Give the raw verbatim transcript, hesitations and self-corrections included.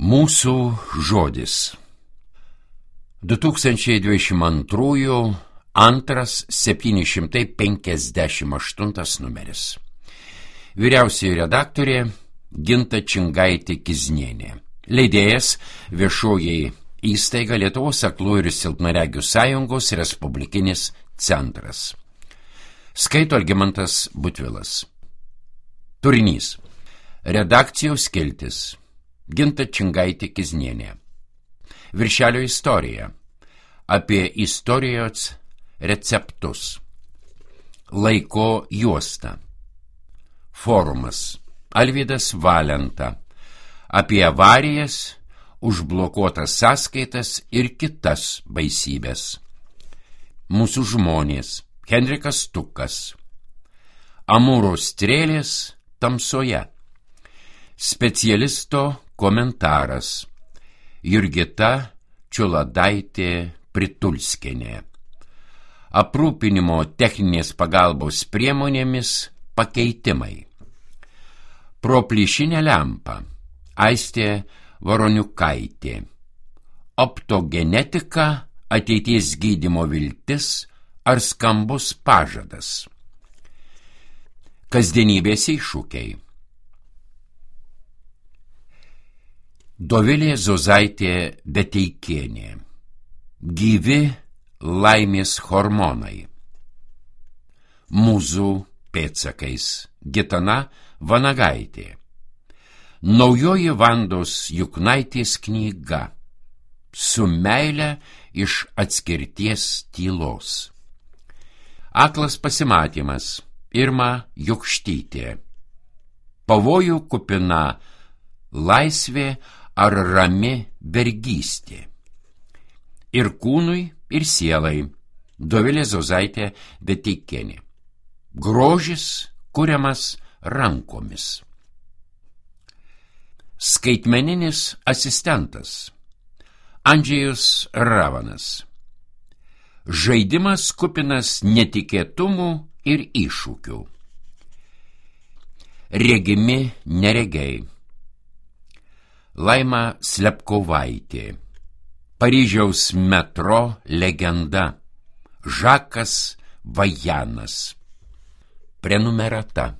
Mūsų žodis. du tūkstančiai dvidešimt antrųjų antras septyni šimtai penkiasdešimt aštuntas numeris. Vyriausioji redaktorė Ginta Čingaitė Kiznienė. Leidėjas viešoji įstaiga Lietuvos aklųjų ir silpnaregių sąjungos respublikinis centras. Skaito Algimantas Butvilas. Turinys. Redakcijos skiltis. Ginta Čingaitė Kiznienė. Viršelio istorija. Apie istorijos receptus. Laiko juosta. Forumas. Alvydas Valenta. Apie avarijas, užblokuotas sąskaitas ir kitas baisybės. Mūsų žmonės. Henrikas Tukas. Amūro strėlės tamsoje. Specialisto komentaras. Jurgita Čiuladaitė Pritulskienė. Aprūpinimo techninės pagalbos priemonėmis pakeitimai. Pro plyšinę lempą. Aistė Varoniukaitė. Optogenetika, ateities gydymo viltis ar skambus pažadas. Kasdienybės iššūkiai. Dovilė Zozaitė Beteikienė. Gyvi laimės hormonai. Mūzų pėdsakais. Gitana Vanagaitė. Naujoji Vandos Juknaitės knyga. Su meile iš atskirties tylos. Aklas pasimatymas. Irma Jukštytė. Pavojų kupina laisvė ar rami vergystė. Ir kūnui, ir sielai. Dovilė Zozaitė Beteikienė. Grožis kuriamas rankomis. Skaitmeninis asistentas. Andžejus Ravanas. Žaidimas kupinas netikėtumų ir iššūkių. Regimi neregiai. Laima Slepkovaitė. Paryžiaus metro legenda. Žakas Vajanas. Prenumerata.